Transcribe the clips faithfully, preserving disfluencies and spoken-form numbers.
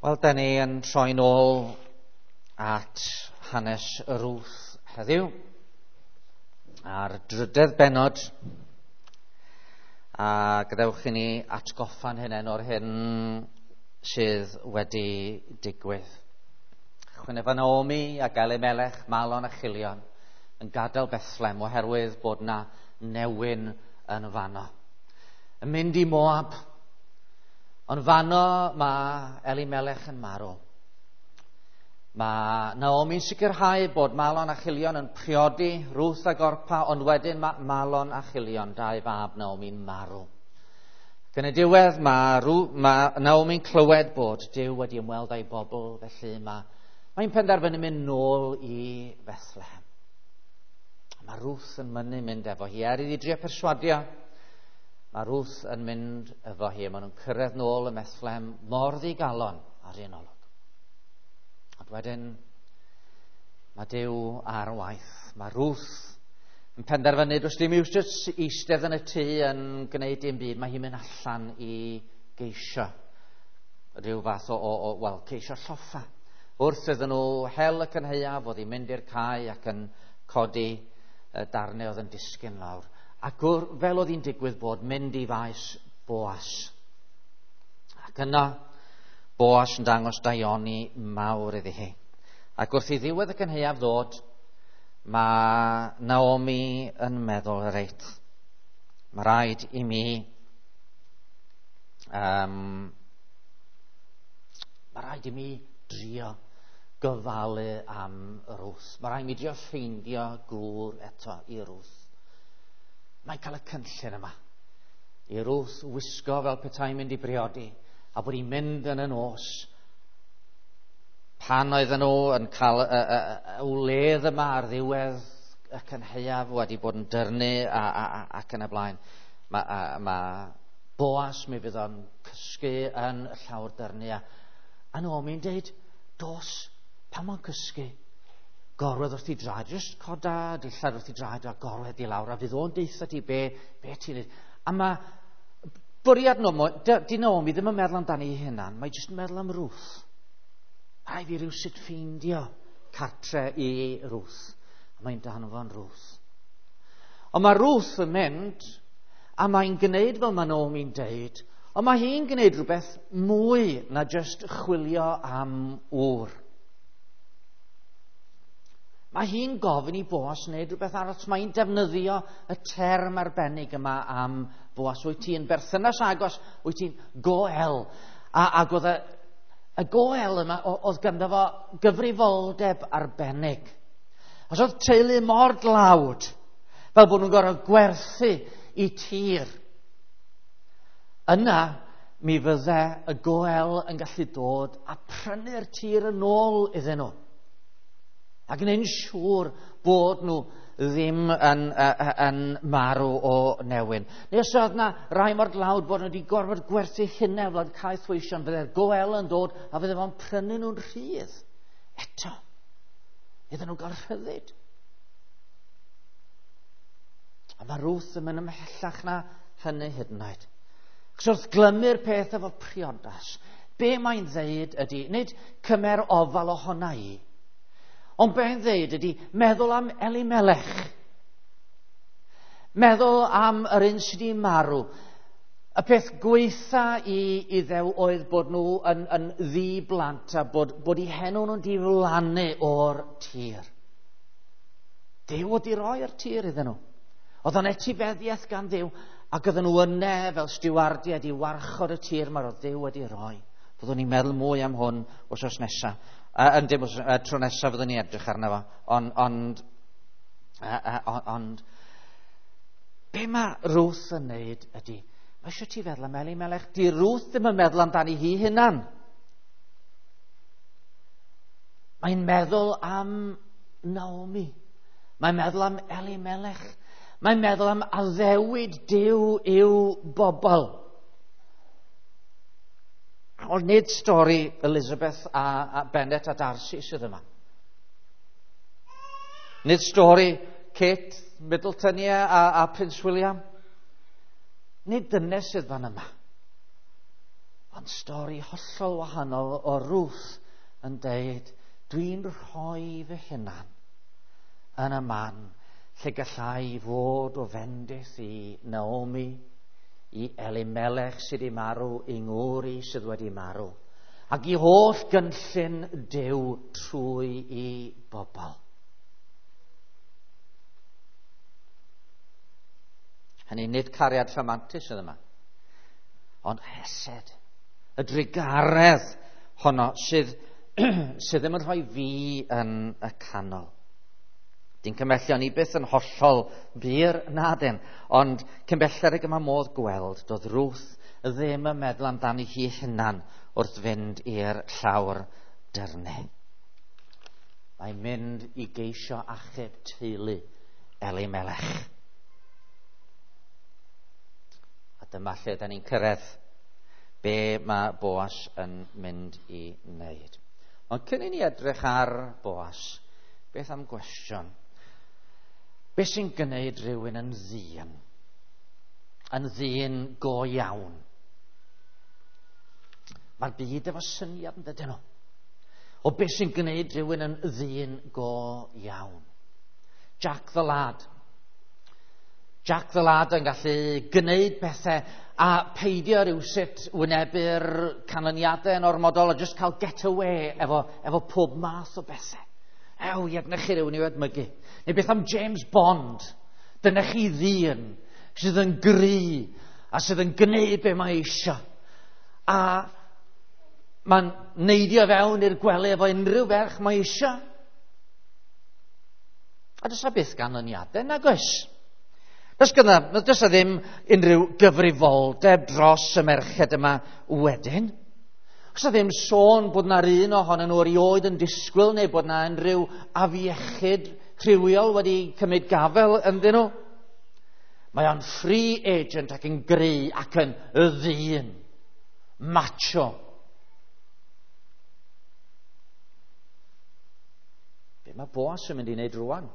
Wel, da ni yn troi'n ôl at hanes Ruth heddiw, a'r drydedd bennod, a gadewch i ni atgoffa'n hunain o'r hyn sydd wedi digwydd. Chwynef Naomi ac Elimelech, Malon a Chilion yn gadael Bethlehem oherwydd bod na newyn yn fanno. Yn mynd i Moab, ond fanno mae Elimelech yn marw. Mae Naomi'n sicrhau bod Malon a Chilion yn priodi Ruth a Orpa, ond wedyn mae Malon a Chilion, dau fab Naomi'n marw. Ac yn y diwedd mae, Rw, mae Naomi'n clywed bod Duw wedi ymweld â'i bobl, felly mae, mae'n penderfynu mynd nôl i Bethlehem. Mae Ruth yn mynnu mynd efo hi, er iddi drio perswadio. Mae Ruth yn mynd efo hi, a maen nhw'n cyrraedd nôl ym Methlehem mor ddigalon ar un olwg. Ond wedyn, mae Duw ar waith. Mae Ruth yn penderfynu, does dim iws jyst eistedd yn y tŷ yn gwneud dim byd, mae hi'n mynd allan i geisio rhyw fath o, o, o wel, ceisio lloffa. Wrth iddyn nhw hel y cynhaeaf, oedd hi'n mynd i'r cae ac yn codi darnau oedd yn disgyn lawr. Ac wr, fel oedd hi'n digwydd bod, mynd i faes Boas. Ac yna, Boas yn dangos daioni mawr iddi hi. Ac wrth i ddiwedd y cynhaeaf ddod, mae Naomi yn meddwl, reit, mae rhaid i mi um, mae rhaid i mi drio gofalu am Ruth. Mae rhaid i mi drio ffeindio gŵr eto i Ruth. Mae'n cael y cynllun yma i Ruth wisgo fel petai'n mynd i briodi a bod hi'n mynd yn y nos pan oedden nhw yn cael y, y, y, y wledd yma ar ddiwedd y cynhaeaf wedi bod yn dyrnu a, a, a, ac yn y blaen. Mae, a, ma Boas mi fydd o'n cysgu yn y llawr dyrnu a, a Naomi'n deud, dos, pan mae'n cysgu, gorwedd wrth i draed, jyst coda dillad wrth i draed a gorwedd i lawr, a fydd o'n deutha ti be, be ti'n neud. A mae bwriad di Naomi ddim yn meddwl amdani ei hunan, mae jyst yn meddwl am Ruth. Rhaid fi rywsut ffeindio cartre i Ruth. A mae'n danfon Ruth. Ond mae Ruth yn mynd, a mae'n gwneud fel mae Naomi'n deud, ond mae hi'n gwneud rhywbeth mwy na jyst chwilio am ŵr. Mae hi'n gofyn i Boas wneud rhywbeth arall. Mae hi'n defnyddio y term arbennig yma am Boas. Wyt ti'n berthynas agos, wyt ti'n goel. A, ac oedd y, y goel yma, oedd ganddo fo gyfrifoldeb arbennig. Os oedd teulu mor dlawd, fel bod nhw'n gorfod gwerthu i tir, yna mi fydde y goel yn gallu dod a prynu'r tir yn ôl iddyn nhw. A gwneud yn siŵr bod nhw ddim yn, yn, yn marw o newyn. Neu os oedd na rai mor dlawd bod nhw wedi gorfod gwerthu hynna fel caethweision, fydde'r goel yn dod a fydde fo'n prynu nhw'n rhydd. Eto, iddyn nhw gael rhyddid. A mae Ruth yn mynd ymhellach na hynny hyd yn oed. Achos wrth glymu'r peth efo priodas, be mae'n ddeud ydy, nid cymer ofal ohona i, ond be mae'n ddeud ydy meddwl am Elimelech. Meddwl am yr un sydd wedi marw. Y peth gweitha i Iddew oedd bod nhw yn, yn ddi-blant a bod, bod eu henw nhw'n diflannu o'r tir. Duw wedi roi'r tir iddyn nhw. Oedd o'n etifeddiaeth gan Dduw, ac oedden nhw yna fel stiwardiaid i warchod y tir mae'r oedd Duw wedi roi. Byddwn ni'n meddwl mwy am hwn wythnos nesaf. Uh, yn dim uh, tro nesaf fyddwn ni edrych arno fo. Ond, ond, uh, uh, ond, be mae Ruth yn neud ydy, mae eisiau ti feddwl am Elimelech. Di Ruth ddim yn meddwl amdani hi hunan. Mae'n meddwl am Naomi. Mae'n meddwl am Elimelech. Mae'n meddwl am addewid Duw i'w bobl. Ond nid stori Elizabeth a, a Bennett a Darcy sydd yma. Nid stori Kate Middleton a, a Prince William. Nid dyna sydd fan yma. Ond stori hollol wahanol o Ruth yn deud, dwi'n rhoi fy hunan yn y man lle gallai fod o fendith i Naomi, i Elimelech sydd wedi marw, i ngŵr i sydd wedi marw, ac i holl gynllun Duw trwy i bobl. Hynny nid cariad rhamantus sydd yma, ond hesed, y drugaredd honno sydd, sydd ddim yn rhoi fi yn y canol. Di'n cymhellion ni byth yn hollol bur na dyn, ond cyn belled ag yma modd gweld, doedd Ruth ddim yn meddwl amdani hi hunan wrth fynd i'r llawr dyrnu. Mae'n mynd i geisio achub teulu Elimelech. A dyma lle da ni'n cyrraedd be mae Boas yn mynd i wneud. Ond cyn i ni edrych ar Boas, beth am gwestiwn? Be sy'n gwneud rhywun yn ddyn? Yn ddyn go iawn? Mae'r byd efo syniad yn dydyn nhw. O be sy'n gwneud rhywun yn ddyn go iawn? Jack the Lad. Jack the Lad yn gallu gwneud pethau a peidio rhywsut wynebu'r canlyniadau yn ormodol a just cael get away efo, efo pob math o bethau. Ew, i edrych chi rhywun i'w edmygu. Neu beth am James Bond? Dyna chi ddyn sydd yn gry a sydd yn gwneud be mae eisiau. A mae'n neidio fewn i'r gwely efo unrhyw ferch mae eisiau. A does 'na byth ganlyniadau, nag oes? Does gyda, does 'na ddim unrhyw gyfrifoldeb dros y merched yma wedyn. Oes 'na ddim sôn bod na'r un ohonyn nhw erioed yn disgwyl neu bod na unrhyw afiechyd rhywiol wedi cymryd gafel ynddyn nhw. Mae o'n free agent ac yn gry ac yn y ddyn. Macho. Be mae Boas yn mynd i wneud rwan?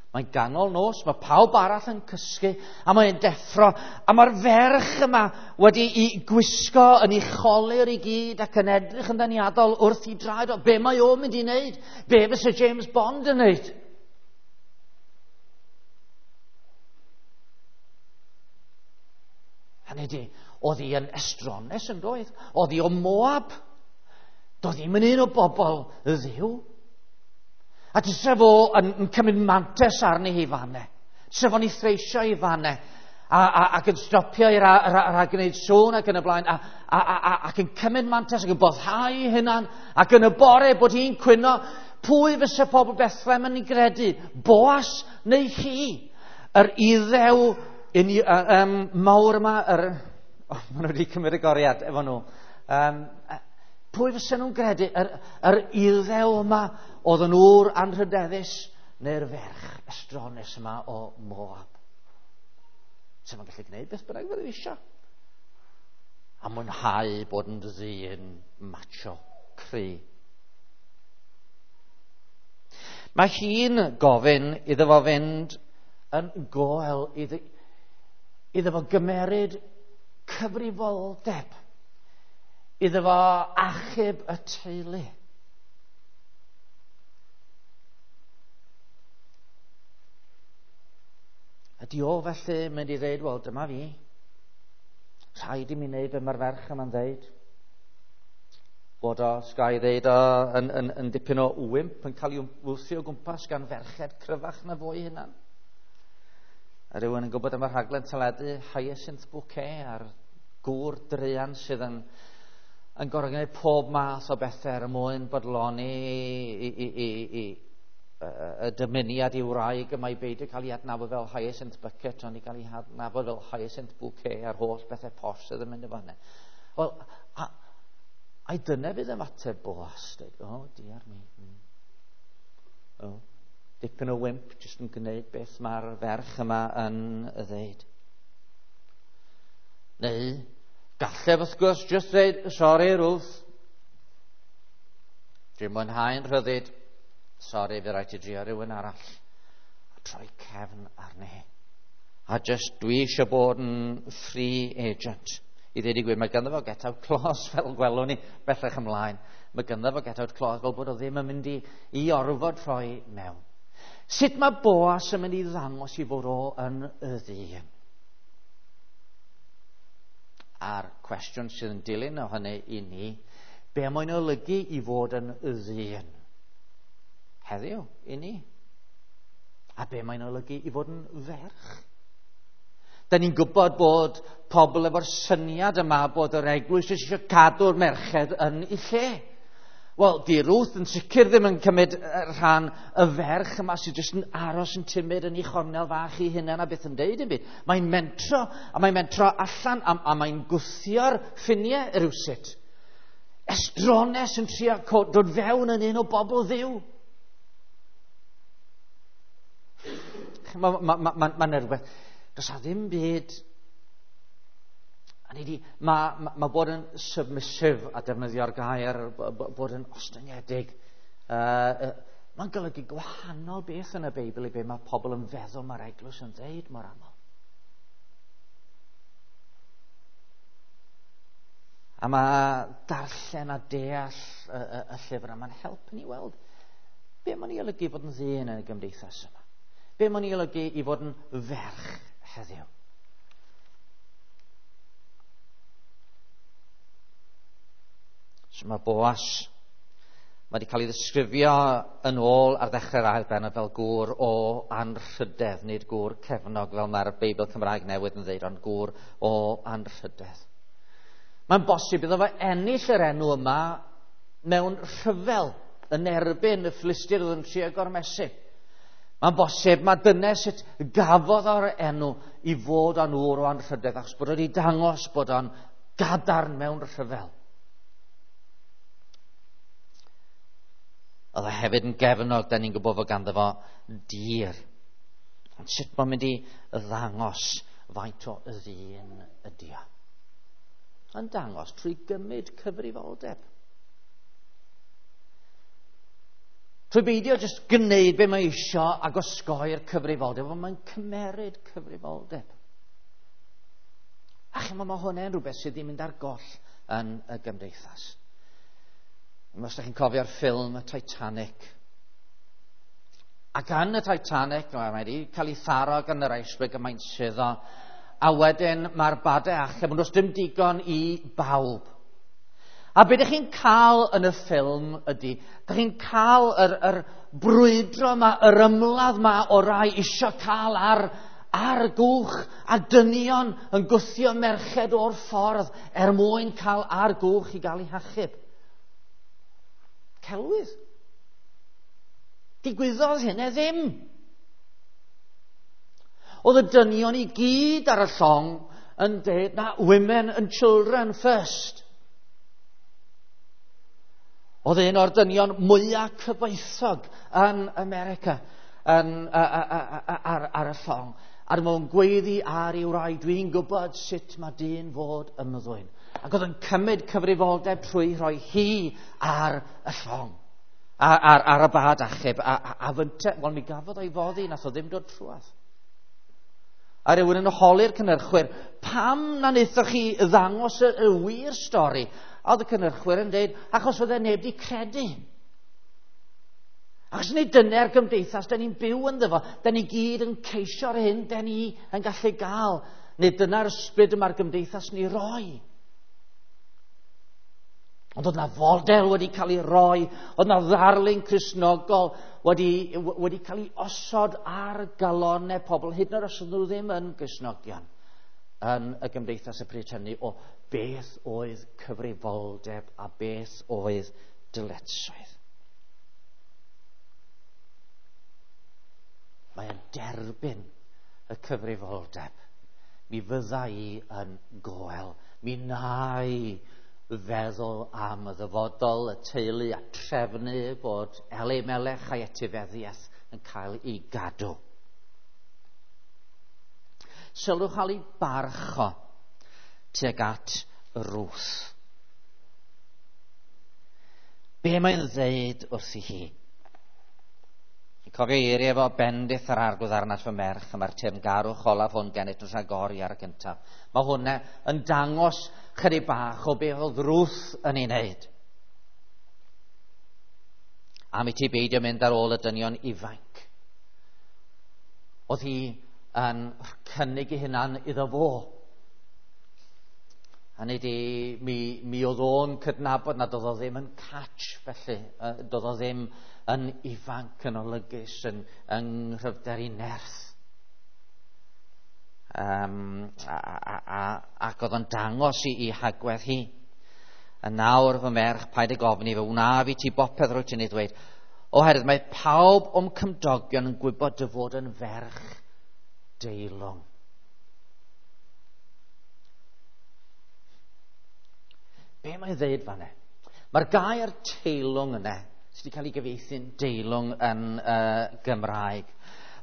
Mae'n ganol nos, mae pawb arall yn cysgu, a mae'n deffro, a mae'r ferch yma wedi i gwisgo yn ei cholur i gyd ac yn edrych yn ddeniadol wrth i draed o. Be mae o'n mynd i wneud? Be fysa James Bond yn wneud? Hynny di, oedd hi yn estrones yn doedd? Oedd hi o Moab? Doedd hi'm yn un o bobl y Dduw. A tysa fo yn, yn cymryd mantes arni hi fanne. Tysa fo'n ei threisio i fanne. A, a, ac yn stopio i ra, ra, ra, gwneud sŵn ac yn y blaen. A, a, a, a, ac yn cymryd mantes ac yn boddhau ei hunan. Ac yn y bore bod hi'n cwyno, pwy fysa pobl Bethlehem yn ei gredu? Boas neu hi? Yr iddew un, um, mawr yma, yr, oh, maen nhw wedi cymryd y goriad efo nhw. Um, pwy fysa nhw'n gredu? Yr, yr iddew yma oedd yn ŵr anrhydeddus neu'r ferch estrones yma o Moab? Sef yn gallu gwneud beth bynnag fydde eisiau. A mwynhau bod yn ddyn macho, cry. Mae hi'n gofyn iddo fo fynd yn goel, iddo, iddo fo gymeryd cyfrifoldeb, iddo fo achub y teulu. Ydy o felly mynd i ddeud, wel, dyma fi. Rhaid i mi wneud be mae'r ferch yma'n ddeud. Bod o, sgai ddeud o, yn, yn, yn dipyn o wymp, yn cael ei wthio o gwmpas gan ferched cryfach na fo'i hunan. A rhywun yn gwybod am y rhaglen teledu Hyacinth Bouquet a'r gŵr druan sydd yn, yn gorfod gwneud pob math o bethau er mwyn bodloni i, i, i, i, y dymuniad i wraig yma i beidio cael ei adnabod fel Hyacinth Bucket, ond i gael ei adnabod fel Hyacinth Bouquet a'r holl bethau posh sydd yn mynd efo hynny. Wel, a, ai dyna fydd ymateb Boas? Dweud, oh, dear me. Mm. Oh, dipyn o wimp, jyst yn gwneud beth mae'r ferch yma yn y ddeud. Neu, gallef wrth gwrs jyst dweud, sorry Ruth, dwi'n mwynhau'n rhyddid, sorry, fe rhaid ti drio rhywun arall. A troi cefn arni. A just dwi eisiau bod yn free agent. I ddweud i gwir, mae ganddo fo get out clause, fel gwelwn ni bellach ymlaen. Mae ganddo fo get out clause fel bod o ddim yn mynd i, i orfod rhoi mewn. Sut mae Boas yn mynd i ddangos i fod o yn y ddyn? A'r cwestiwn sydd yn dilyn o hynny i ni, be mae'n olygu i fod yn y ddyn? Heddiw, i ni. A be mae'n olygu i fod yn ferch? Da ni'n gwybod bod pobl efo'r syniad yma bod yr eglwys eisiau cadw'r merched yn ei lle. Wel, di Ruth yn sicr ddim yn cymryd rhan y ferch yma sydd jyst yn aros yn timid yn ei chornel fach ei hunan a beth yn deud yn byd. Mae'n mentro, a mae'n mentro allan, a, a mae'n gwthio'r ffiniau rywsut. Estrones yn trio dod fewn yn un o bobl Dduw. Mae'n ma, ma, ma, ma rhywbeth. Does a ddim byd. Mae ma, ma bod yn submissive a defnyddio'r gair, bod yn ostyngedig, uh, uh, mae'n golygu gwahanol beth yn y Beibl i be mae pobl yn feddwl mae'r eglwys yn ddeud mor aml. A mae darllen a deall y, y, y llyfr yma'n helpu ni weld be mae'n ei olygu fod yn ddyn yn y gymdeithas yma. Be mae'n ei olygu i fod yn ferch heddiw. So mae Boas, mae wedi cael ei ddisgrifio yn ôl ar ddechrau'r ail bennod fel gŵr o anrhydedd, nid gŵr cefnog fel mae'r Beibl Cymraeg newydd yn dweud, ond gŵr o anrhydedd. Mae'n bosib iddo fo ennill yr enw yma mewn rhyfel yn erbyn y Philistiaid oedd yn trio gormesu. Mae'n bosib, mae dyna sut gafodd o'r enw i fod o'n ŵr o anrhydedd, achos bod wedi dangos bod o'n gadarn mewn rhyfel. Oedd e hefyd yn gefnog, da ni'n gwybod fod ganddo fo dir. Ond sut mae'n mynd i ddangos faint o ddyn ydi o? Yn dangos trwy gymryd cyfrifoldeb. Trwy beidio jyst gwneud be mae isio ac osgoi'r cyfrifoldeb, ond mae'n cymeryd cyfrifoldeb. A chimod, mae hwnna'n rhywbeth sydd ddim mynd ar goll yn y gymdeithas. Os ydych chi'n cofio'r ffilm y Titanic. Ac yn y Titanic, mae wedi cael ei tharo gan yr iceberg y mae'n suddo. A wedyn mae'r badau achub, ond does dim digon i bawb. A be ydych chi'n cael yn y ffilm ydy, ydych chi'n cael yr, yr brwydro yma, yr ymladd yma o rai isio cael ar, ar gwch a dynion yn gwthio merched o'r ffordd er mwyn cael ar gwch i gael ei hachub. Celwydd. Digwyddodd hynny ddim. Oedd y dynion i gyd ar y llong yn dweud, na, women and children first. Oedd un o'r dynion mwyaf cyfoethog yn America yn, a, a, a, ar, ar y llong. A dyma fo'n gweiddi ar ei wraig, dwi'n gwybod sut mae dyn fod ymddwyn. Ac oedd yn cymryd cyfrifoldeb trwy rhoi hi ar y llong, ar, ar, ar y bad achub. A, a, a fynte, wel mi gafodd o'i foddi, nath o ddim dod trwadd. A rhywun yn holi'r cynhyrchwyr, pam na wnaethoch chi ddangos y, y wir stori? A oedd y cynhyrchwyr yn dweud, achos oedd e neb di credu. Achos nid dyna'r gymdeithas da ni'n byw ynddo fo, da ni gyd yn ceisio'r hyn da ni yn gallu gael. Nid dyna'r ysbryd yma'r gymdeithas ni roi. Ond oedd na fodel wedi cael ei roi, oedd na ddarlun Cristnogol wedi, wedi cael ei osod ar galonnau pobl, hyd yn oed os oedd nhw ddim yn Gristnogion yn y gymdeithas y pryd hynny, o beth oedd cyfrifoldeb a beth oedd dyletswydd. Mae'n derbyn y cyfrifoldeb. Mi fydda i yn goel, mi wna i feddwl am y ddyfodol, y teulu a trefnu bod Elimelech a'i etifeddiaeth yn cael ei gadw. Sylwch al ei barch o tuag at Ruth. Be mae'n ddeud wrthi hi? Chi'n cofio eiriau efo bendith yr arglwydd arnat fy merch, a mae'r teyrngarwch olaf hwn gennyt yn rhagori ar y cyntaf. Mae hwnna yn dangos chydig bach o beth oedd Ruth yn ei wneud. Am i ti beidio mynd ar ôl y dynion ifanc. Oedd hi yn cynnig ei hunan iddo fo. Hynny di, mi, mi oedd o'n cydnabod nad oedd o ddim yn catch felly. Doedd o ddim yn ifanc, yn olygus, yn, yng nghryfder ei nerth. Um, a, a, a, ac oedd o'n dangos i, i hagwedd hi. A nawr fy merch, paid ag ofni, fe wnaf i ti bopeth rwyt ti'n ei ddweud. Oherwydd mae pawb o'm cymdogion yn gwybod dy fod yn ferch deilwng. Be mae'n dweud fan'na? Mae'r gair teilwng yna, sydd wedi cael ei gyfieithu'n deilwng yn uh, Gymraeg.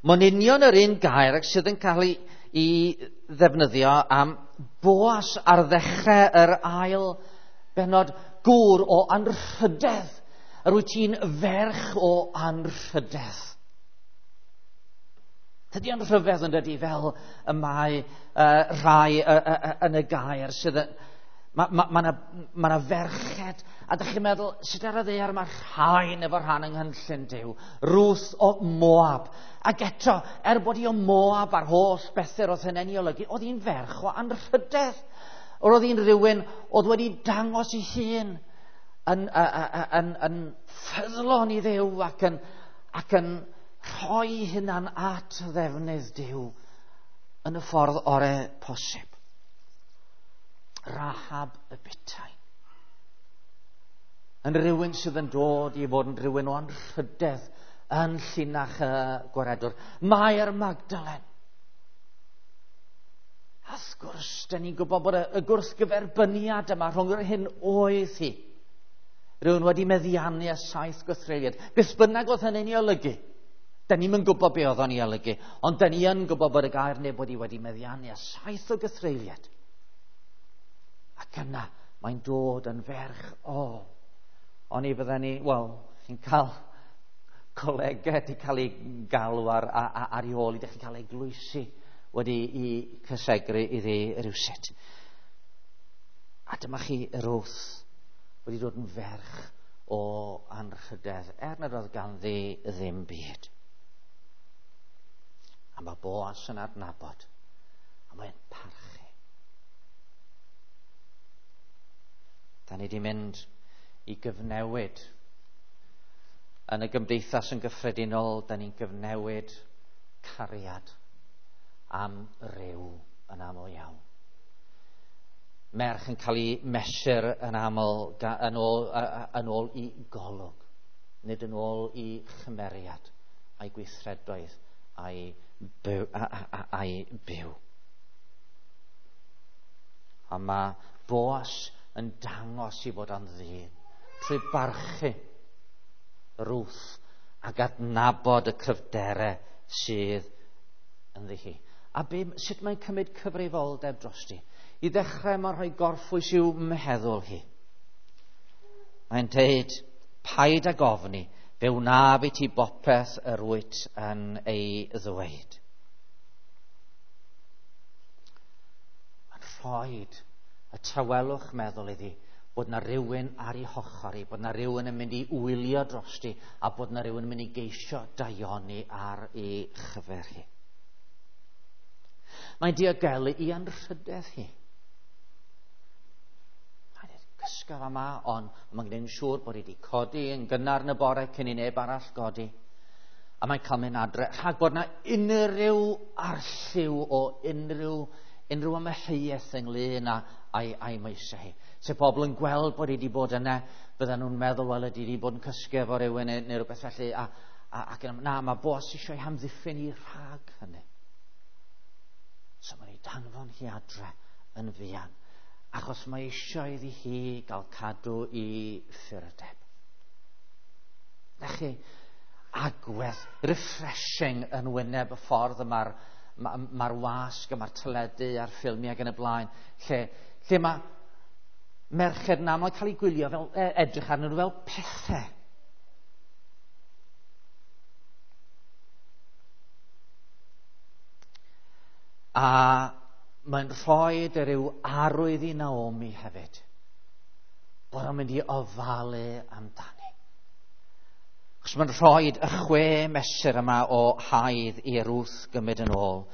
Mae'n union yr un gair sydd yn cael ei, ei ddefnyddio am Boas ar ddechrau yr ail bennod, gŵr o anrhydedd. Yr wyt ti'n ferch o anrhydedd. Tydi o'n rhyfedd yn dydi fel y mae uh, rhai uh, uh, uh, yn y gair sydd yn... Mae ma, ma na, ma na ferched, a dych chi'n meddwl, sut ar y ddaear mae rhain efo rhan yng nghynllun Duw? Ruth o Moab. Ac eto, er bod hi o Moab a'r holl bethau oedd hynny'n ei olygu, oedd hi'n ferch o anrhydedd. Oedd hi'n rhywun oedd wedi dangos ei hun yn, yn, yn, yn ffyddlon i Dduw ac yn, ac yn rhoi hunan at ddefnydd Duw yn y ffordd orau posib. Rahab y butai. Yn rhywun sydd yn dod i fod yn rhywun o anrhydedd yn llinach y gwaredwr. Mair Magdalen. A wrth gwrs, da ni'n gwybod bod y, y gwrthgyferbyniad yma rhwng yr hyn oedd hi. Rhywun wedi meddiannu y saith gwrthreiliad. Beth bynnag oedd hynny'n ei olygu. Da ni'm yn gwybod be oedd o'n ei olygu, ond da ni yn gwybod bod y gair neu bod hi wedi meddiannu y saith o gythreuliad. Ac yna, mae'n dod yn ferch o. O'n i fydden ni, wel, chi'n cael colegau wedi cael ei galw ar, ar, ar ei ôl, i chi'n cael eglwysi wedi i cysegru iddi rywsut. A dyma chi Ruth wedi dod yn ferch o anrhydedd, er nad oedd ganddi ddim byd. A mae Boas yn adnabod, a mae'n parchu. Da ni wedi mynd i gyfnewid. Yn y gymdeithas yn gyffredinol, da ni'n gyfnewid cariad am ryw yn aml iawn. Merch yn cael ei mesur yn aml yn ôl, yn ôl i golwg, nid yn ôl i chymeriad a'i gweithredoedd a'i byw. A'i byw. A mae Boas yn dangos i fod yn ddyn trwy barchu Ruth ac adnabod y cryfderau sydd ynddi hi. A be, sut mae'n cymryd cyfrifoldeb drosti? I ddechrau mae'n rhoi gorffwys i'w meddwl hi. Mae'n dweud, paid ag ofni, fe wnaf i ti bopeth yr wyt yn ei ddweud. Mae'n rhoi y tawelwch meddwl iddi bod na rhywun ar ei hochr hi, bod na rhywun yn mynd i wylio drosti, a bod na rhywun yn mynd i geisio daioni ar ei chyfer hi. Mae'n diogelu i anrhydedd hi. Mae'n dweud, cysga yma, ond mae'n gwneud yn siŵr bod hi wedi codi yn gynnar yn y bore cyn i neb arall godi. A mae'n cael mynd adre, rhag bod na unrhyw arlliw o unrhyw, unrhyw amheuaeth ynglyn â a'i, a'i moesau hi. Se pobl yn gweld bod hi wedi bod yna, bydden nhw'n meddwl, wel, ydy wedi bod yn cysgu efo rhywun neu, neu rhywbeth felly. A, a, ac na, mae Boas eisiau ei hamddiffyn hi rhag hynny. So mae'n ei danfon hi adre yn fuan, achos mae eisiau iddi hi gael cadw i ffyrdeb. Na chi, agwedd refreshing yn wyneb y ffordd y mae'r ma, ma wasg a mae'r teledu a'r ffilmiau ac yn y blaen, lle, lle mae merched yn aml cael eu gwylio fel, edrych arnyn nhw fel pethau. A mae'n rhoi rhyw arwydd i Naomi hefyd, bod o'n mynd i ofalu amdani. Achos mae'n rhoi y chwe mesur yma o haidd i Ruth gymryd yn ôl.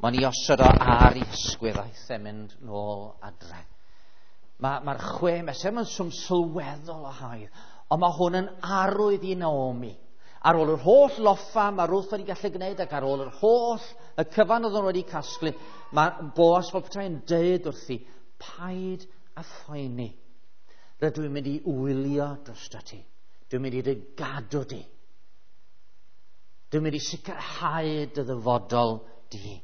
Mae'n ei osod o ar ei hysgwydd aeth e mynd nôl adre. Mae'r ma chwe mesur, mae'n swm sylweddol o haidd, ond mae hwn yn arwydd i Naomi. Ar ôl yr holl loffa mae Ruth wedi gallu gwneud ac ar ôl yr holl y cyfan oedd nhw wedi casglu, mae Boas fel petai'n deud wrthi, paid a phoeni. Rydw i'n mynd i wylio drosto ti. Dwi'n mynd i dy gadw di. Dwi'n mynd i sicrhau dy ddyfodol di.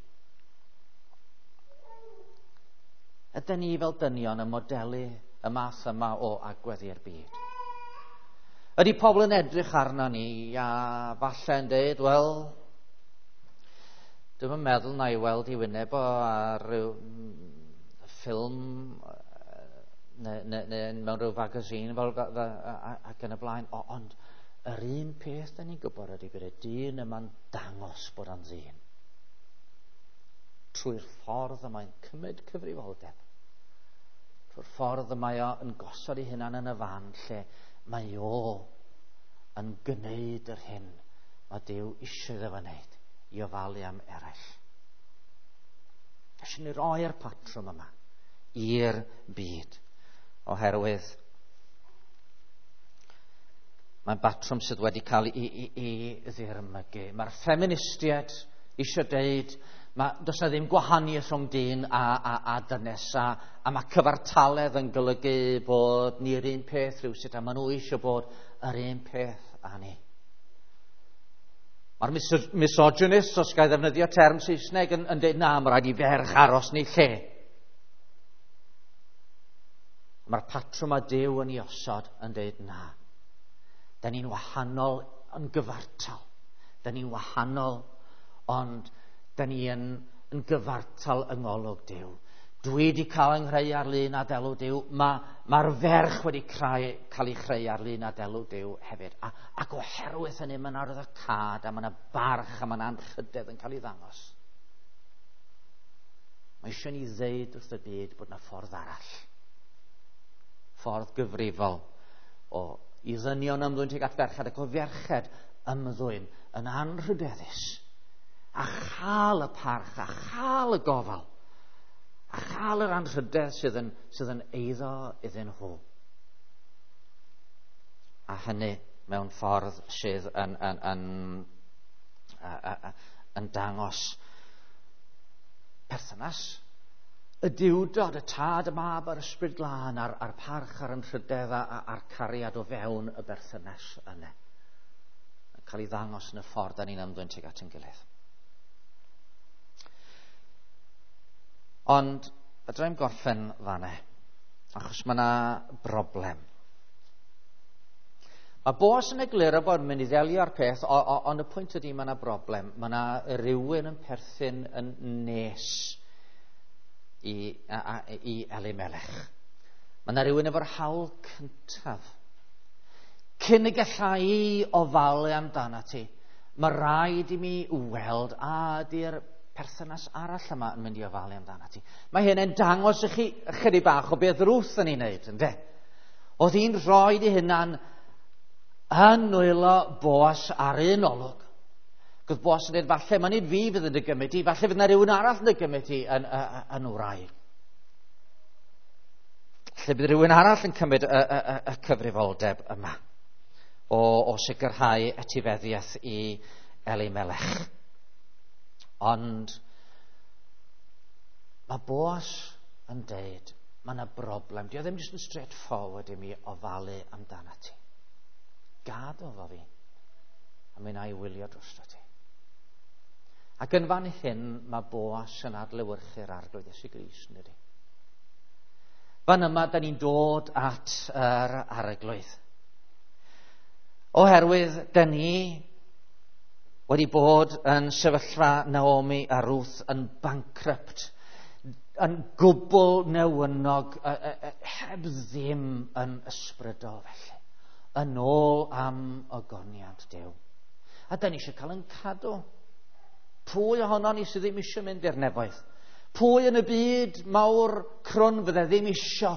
Ydyn ni fel dynion yn modelu y math yma o agwedd i'r byd? Ydy pobl yn edrych arno ni a falle yn dweud, wel, dwi'm yn meddwl na i weld i wyneb o ar ryw ffilm neu, neu, neu mewn rhyw fagazine fel, fel, ac yn y blaen. O, ond yr un peth da ni'n gwybod ydy bod y dyn yma'n dangos bod o'n ddyn. Trwy'r ffordd y mae'n cymryd cyfrifoldeb. Trwy'r ffordd y mae o'n gosod ei hunan yn y fan lle mae o yn gwneud yr hyn mae Duw eisiau iddo fo wneud i ofalu am eraill. Eisiau ni roi'r patrwm yma i'r byd, oherwydd mae'n batrwm sydd wedi cael ei, ei, ei ddirmygu. Mae'r ffeministiaid eisiau deud, mae, does na ddim gwahaniaeth rhwng dyn a, a, a dynes, a, a mae cyfartaledd yn golygu bod ni'r un peth rhywsut, a maen nhw eisiau bod yr un peth â ni. Mae'r misogynist, os ga i ddefnyddio term Saesneg, yn, yn dweud na, mae rhaid i ferch aros yn ei lle. Mae'r patrwm a Duw yn ei osod yn dweud na. Da ni'n wahanol yn gyfartal. Da ni'n wahanol, ond da ni yn, yn gyfartal yng ngolwg Duw. Dwi wedi cael yng nghreu ar lun a delw Duw. Mae'r ma ferch wedi creu, cael ei chreu ar lun a delw Duw hefyd. A, ac oherwydd hynny, mae'n arwyddocâd a mae'n barch a mae'n anrhydedd yn cael ei ddangos. Mae eisiau ni ddeud wrth y byd bod yna ffordd arall. Ffordd gyfrifol o i ddynion ymddwyn tuag at ferched ac o ferched ymddwyn yn anrhydeddus a chael y parch a chael y gofal a chael yr anrhydedd sydd yn, sydd yn eiddo iddyn nhw. A hynny mewn ffordd sydd yn, yn, yn, yn, yn dangos perthynas y Duwdod, y Tad, y Mab a'r Ysbryd Glân, a'r, a'r parch a'r anrhydedd a'r cariad o fewn y berthynas yna. Yn cael ei ddangos yn y ffordd da ni'n ymddwyn tuag at ein gilydd. Ond fedra i'm gorffen fan'na, achos mae yna broblem. Mae Boas yn egluro bod yn mynd i ddelio â'r peth, ond y pwynt ydy mae yna broblem. Mae yna rywun yn perthyn yn nes i, a, a, i Elimelech. Mae yna rywun efo'r hawl cyntaf. Cyn y galla i ofalu amdano ti, mae rhaid i mi weld a ydy'r perthynas arall yma yn mynd i ofalu amdano ti. Mae hyn yn dangos i chi ychydig bach o beth Ruth yn ei wneud, ynde? Oedd hi'n rhoi ei hunan yn nwylo Boas ar un olwg. Gwyd Boas yn dweud, falle mae nid fi fydd yn dy gymryd i, falle fydd yna rhywun arall yn dy gymryd i yn, yn, yn wraig. Falle bydd rhywun arall yn cymryd y, y, y, y cyfrifoldeb yma o, o sicrhau etifeddiaeth i Elimelech. Ond mae Boas yn deud, mae yna broblem. Dio ddim jyst yn straight forward i mi ofalu amdano ti. Gad o fo fi, a mi wna i wylio drosto ti. Ac yn fan hyn, mae Boas yn adlewyrchu'r Arglwydd Iesu Grist, yn dydi? Fan yma, da ni'n dod at yr Arglwydd. Oherwydd, da ni wedi bod yn sefyllfa Naomi a Ruth yn bankrupt, yn gwbl newynog, heb ddim yn ysbrydol felly, yn ôl am ogoniant Duw. A da ni eisiau cael yn cadw. Pwy ohono ni sydd ddim eisiau mynd i'r nefoedd? Pwy yn y byd mawr crwn fydde ddim isio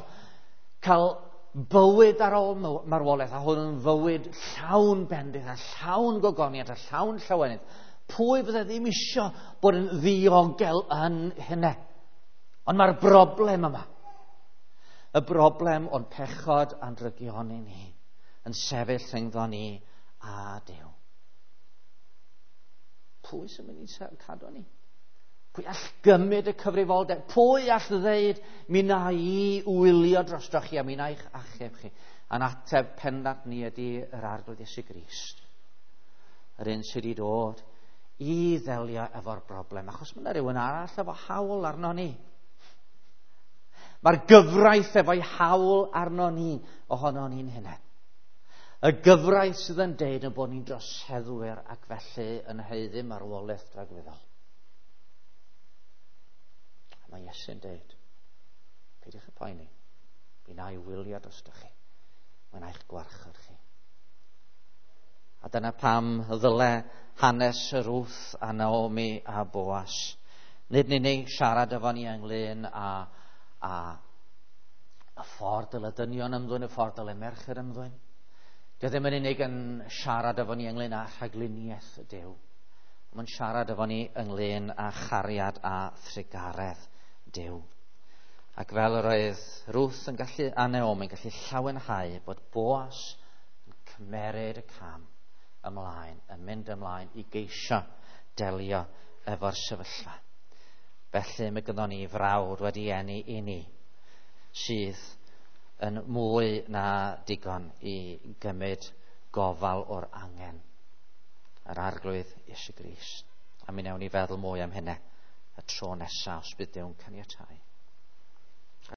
cael bywyd ar ôl marwolaeth, a hwn yn fywyd llawn bendith a llawn gogoniant a llawn llawenydd. Pwy fydde ddim isio bod yn ddiogel yn hynny? Ond mae'r broblem yma, y broblem o'n pechod a'n drygioni ni, yn sefyll rhyngddo ni a Duw. Pwy sy'n mynd i cadw ni? Pwy all gymryd y cyfrifoldeb? Pwy all ddeud, mi na i wylio drostoch chi a mi na i'ch achub chi? A'n ateb pendant ni ydy yr Arglwydd Iesu Grist. Yr un sydd wedi dod i ddelio efo'r broblem, achos mae yna rhywun arall efo hawl arno ni. Mae'r gyfraith efo'i hawl arno ni ohono ni'n hunain. Y gyfraith sydd yn deud yn bod ni'n droseddwyr ac felly yn haeddu marwolaeth dragwyddol. Mae Iesu'n deud, peidiwch â poeni, mi na i wylio drostoch chi, mi na i'ch gwarchod chi. A dyna pam ddyle hanes Ruth a Naomi a Boas. Nid yn unig siarad efo ni ynglyn â, a y ffordd dyle dynion ymddwyn, y ffordd dyle merched ymddwyn. Dio ddim yn unig yn siarad efo ni ynglyn â rhagluniaeth Duw. Mae'n siarad efo ni ynglyn â chariad a thrugaredd Duw. Ac fel yr oedd Ruth yn gallu, a Naomi yn gallu llawenhau bod Boas yn cymeryd y cam ymlaen, yn mynd ymlaen i geisio delio efo'r sefyllfa. Felly mae gynnon ni frawd wedi eni i ni sydd yn mwy na digon i gymryd gofal o'r angen. Yr Arglwydd Iesu Grist. A mi wnawn ni feddwl mwy am hynny y tro nesaf os bydd Duw'n caniatáu.